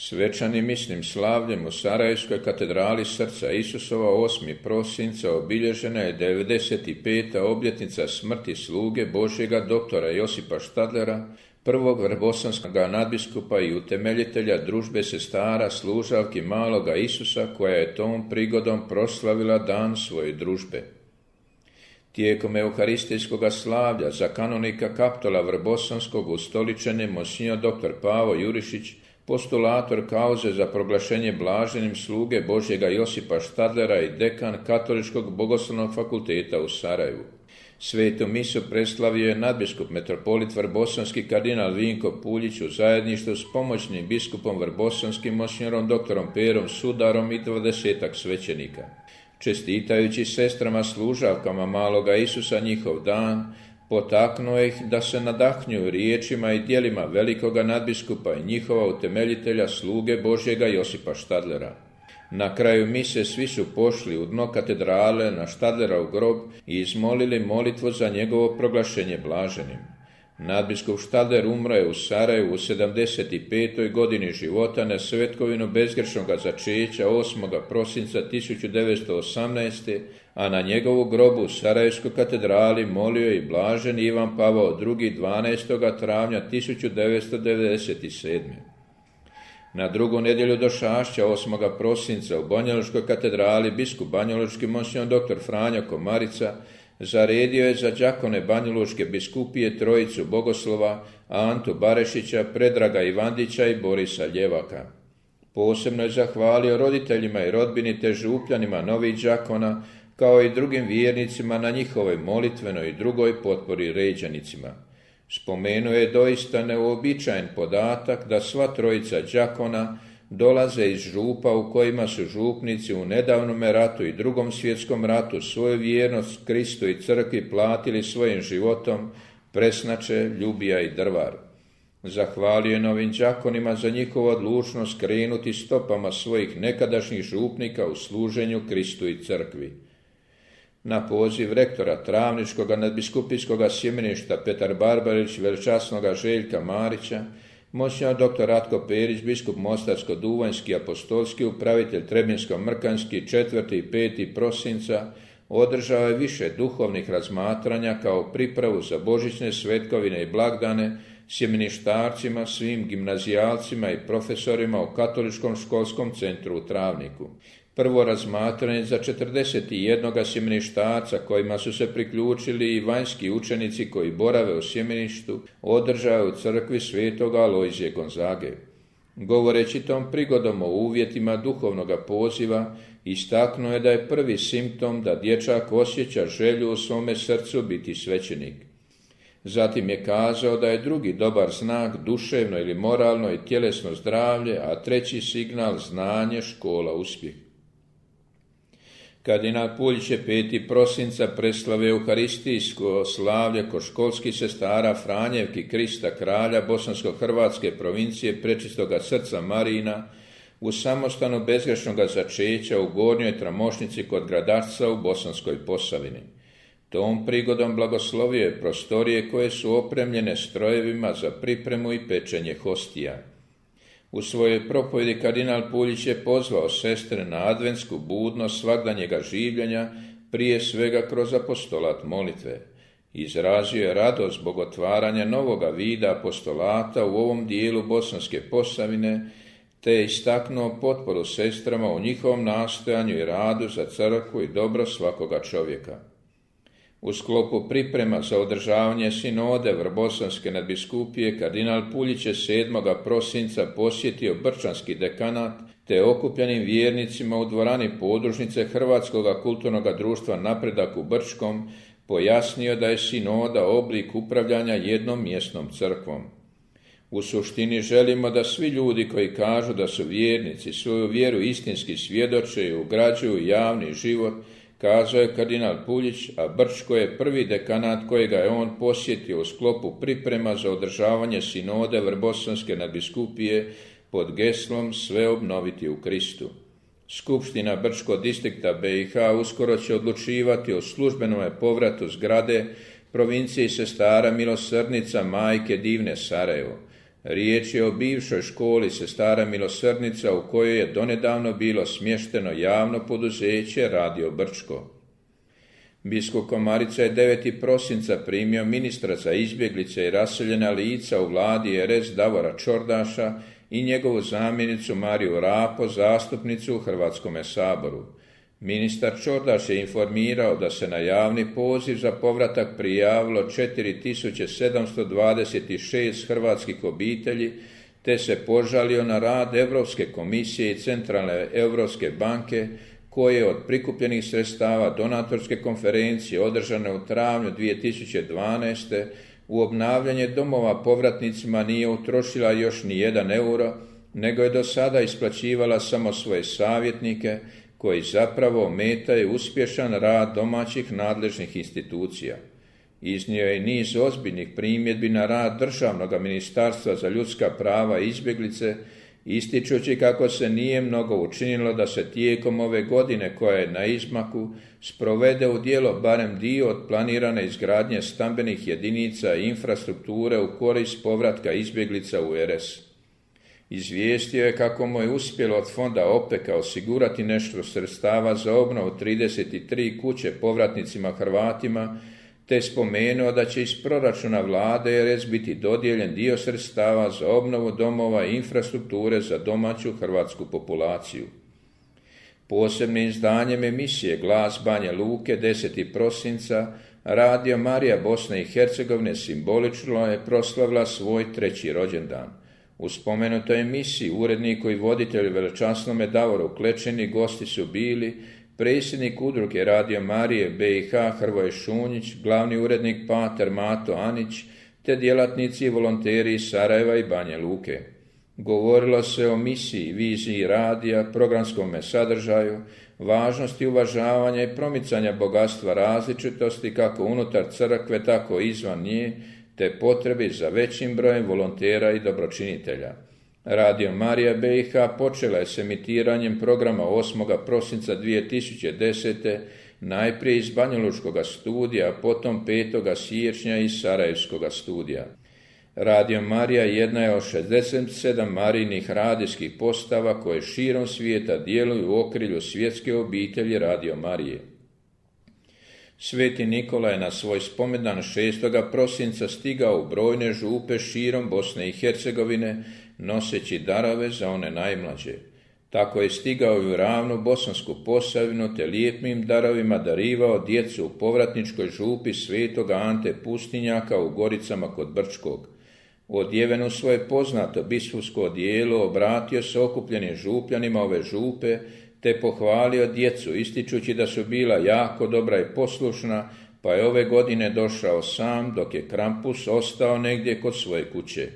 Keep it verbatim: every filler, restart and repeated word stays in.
Svečanim misnim slavljem u Sarajevskoj katedrali Srca Isusova osmog prosinca obilježena je devedeset peta obljetnica smrti sluge Božjega doktora Josipa Štadlera, prvog vrbosanskog nadbiskupa i utemeljitelja družbe sestara služavki maloga Isusa, koja je tom prigodom proslavila dan svoje družbe. Tijekom euharistijskog slavlja za kanonika Kaptola Vrbosanskog ustoličen je monsignor doktor Pavo Jurišić, postulator kauze za proglašenje blaženim sluge Božjega Josipa Štadlera i dekan Katoličkog bogoslovnog fakulteta u Sarajevu. Svetu misu preslavio je nadbiskup metropolit vrbosanski kardinal Vinko Puljić u zajedništvu s pomoćnim biskupom vrbosanskim monsignorom doktorom Perom Sudarom i dvadesetak svećenika. Čestitajući sestrama služavkama maloga Isusa njihov dan, potaknuo ih da se nadahnjuju riječima i djelima velikoga nadbiskupa i njihova utemeljitelja sluge Božjega Josipa Štadlera. Na kraju mise svi su pošli u dno katedrale na Štadlerov grob i izmolili molitvu za njegovo proglašenje blaženim. Nadbiskup Štadler umro je u Sarajevu u sedamdeset petoj godini života na svetkovinu bezgrešnoga začeća osmog prosinca tisuću devetsto osamnaeste. a na njegovu grobu u Sarajevskoj katedrali molio i blaženi Ivan Pavao drugi. dvanaestog travnja tisuću devetsto devedeset sedme. Na drugu nedjelju došašća osmog prosinca u Banjalučkoj katedrali biskup banjalučki monsignor doktor Franjo Komarica zaredio je za đakone Banjalučke biskupije trojicu bogoslova Antu Barešića, Predraga Ivandića i Borisa Ljevaka. Posebno je zahvalio roditeljima i rodbini te župljanima novih đakona, kao i drugim vjernicima na njihovoj molitvenoj i drugoj potpori ređanicima. Spomenuo je doista neuobičajen podatak da sva trojica đakona dolaze iz župa u kojima su župnici u nedavnom ratu i drugom svjetskom ratu svoju vjernost Kristu i crkvi platili svojim životom, Presnače, Ljubija i Drvar. Zahvalio je novim đakonima za njihovu odlučnost krenuti stopama svojih nekadašnjih župnika u služenju Kristu i crkvi. Na poziv rektora Travničkog nadbiskupijskog sjemeništa Petar Barbarić, veličasnoga Željka Marića, monsignor doktor Ratko Perić, biskup Mostarsko-Duvanjski apostolski upravitelj Trebinsko-Mrkanjski četvrti i peti prosinca, održao je više duhovnih razmatranja kao pripravu za božićne svetkovine i blagdane sjemeništarcima, svim gimnazijalcima i profesorima u Katoličkom školskom centru u Travniku. Prvo razmatranje za četrdeset jedan sjemeništarca, kojima su se priključili i vanjski učenici koji borave u sjemeništu, održao u crkvi svetog Alojzije Gonzage. Govoreći tom prigodom o uvjetima duhovnoga poziva, istaknuo je da je prvi simptom da dječak osjeća želju u svome srcu biti svećenik. Zatim je kazao da je drugi dobar znak duševno ili moralno i tjelesno zdravlje, a treći signal znanje, škola, uspjeh. Kardinal Puljić je peti prosinca preslavio euharistijsko slavlje kod školskih sestara Franjevki Krista kralja bosansko-hrvatske provincije Prečistoga srca Marina u samostanu bezgrešnoga začeća u Gornjoj Tramošnici kod Gradačca u Bosanskoj Posavini. Tom prigodom blagoslovio je prostorije koje su opremljene strojevima za pripremu i pečenje hostija. U svojoj propovjedi kardinal Puljić je pozvao sestre na adventsku budnost svagdanjega življenja, prije svega kroz apostolat molitve. Izrazio je radost zbog otvaranja novoga vida apostolata u ovom dijelu Bosanske Posavine, te je istaknuo potporu sestrama u njihovom nastojanju i radu za crkvu i dobro svakoga čovjeka. U sklopu priprema za održavanje sinode Vrbosanske nadbiskupije, kardinal Puljić je sedmog prosinca posjetio Brčanski dekanat, te okupljenim vjernicima u dvorani podružnice Hrvatskog kulturnog društva Napredak u Brčkom pojasnio da je sinoda oblik upravljanja jednom mjesnom crkvom. U suštini želimo da svi ljudi koji kažu da su vjernici svoju vjeru istinski svjedoče i ugrađuju javni život, kazao je kardinal Puljić, a Brčko je prvi dekanat kojega je on posjetio u sklopu priprema za održavanje sinode Vrbosanske nadbiskupije pod geslom Sve obnoviti u Kristu. Skupština Brčko distrikta B i H uskoro će odlučivati o službenom povratu zgrade provinciji sestara Milosrdnica Majke Divne Sarajevo. Riječ je o bivšoj školi Sestara Milosrdnica u kojoj je donedavno bilo smješteno javno poduzeće Radio Brčko. Biskup Komarica je devetog prosinca primio ministra za izbjeglice i raseljena lica u vladi er es Davora Čordaša i njegovu zamjenicu Mariju Rapo, zastupnicu u Hrvatskome saboru. Ministar Čordaš je informirao da se na javni poziv za povratak prijavilo četiri tisuće sedamsto dvadeset šest hrvatskih obitelji, te se požalio na rad Europske komisije i Centralne Europske banke, koje od prikupljenih sredstava donatorske konferencije održane u travnju dvije tisuće dvanaeste. u obnavljanje domova povratnicima nije utrošila još ni jedan euro, nego je do sada isplaćivala samo svoje savjetnike, koji zapravo ometaju uspješan rad domaćih nadležnih institucija. Iznio je niz ozbiljnih primjedbi na rad Državnog ministarstva za ljudska prava i izbjeglice, ističući kako se nije mnogo učinilo da se tijekom ove godine, koja je na izmaku, sprovede u djelo barem dio od planirane izgradnje stambenih jedinica i infrastrukture u korist povratka izbjeglica u er es. Izvijestio je kako mu je uspjelo od fonda OPEC-a osigurati nešto sredstava za obnovu trideset tri kuće povratnicima Hrvatima, te spomenuo da će iz proračuna vlade er es biti dodijeljen dio sredstava za obnovu domova i infrastrukture za domaću hrvatsku populaciju. Posebnim izdanjem emisije Glas Banja Luke desetog prosinca Radio Marija Bosne i Hercegovine simbolično je proslavila svoj treći rođendan. U spomenutoj emisiji uredniku i voditelju veličasnome Davoru Klečini gosti su bili predsjednik udruge Radio Marije be i ha Hrvoje Šunjić, glavni urednik pater Mato Anić, te djelatnici i volonteri iz Sarajeva i Banja Luke. Govorilo se o misiji, viziji radija, programskome sadržaju, važnosti uvažavanja i promicanja bogatstva različitosti kako unutar crkve, tako i izvan nje, te potrebi za većim brojem volontera i dobročinitelja. Radio Marija be i ha počela je s emitiranjem programa osmog prosinca dvije tisuće desete. najprije iz banjalučkog studija, a potom petog siječnja iz sarajevskog studija. Radio Marija jedna je od šezdeset sedam marijnih radijskih postava koje širom svijeta djeluju u okrilju svjetske obitelji Radio Marije. Sveti Nikola je na svoj spomendan šestog prosinca stigao u brojne župe širom Bosne i Hercegovine, noseći darove za one najmlađe. Tako je stigao i u ravnu Bosansku Posavinu, te lijepim darovima darivao djecu u povratničkoj župi svetog Ante Pustinjaka u Goricama kod Brčkog. Odjeven u svoje poznato biskupsko odijelo, obratio se okupljenim župljanima ove župe, te pohvalio djecu, ističući da su bila jako dobra i poslušna, pa je ove godine došao sam, dok je Krampus ostao negdje kod svoje kuće.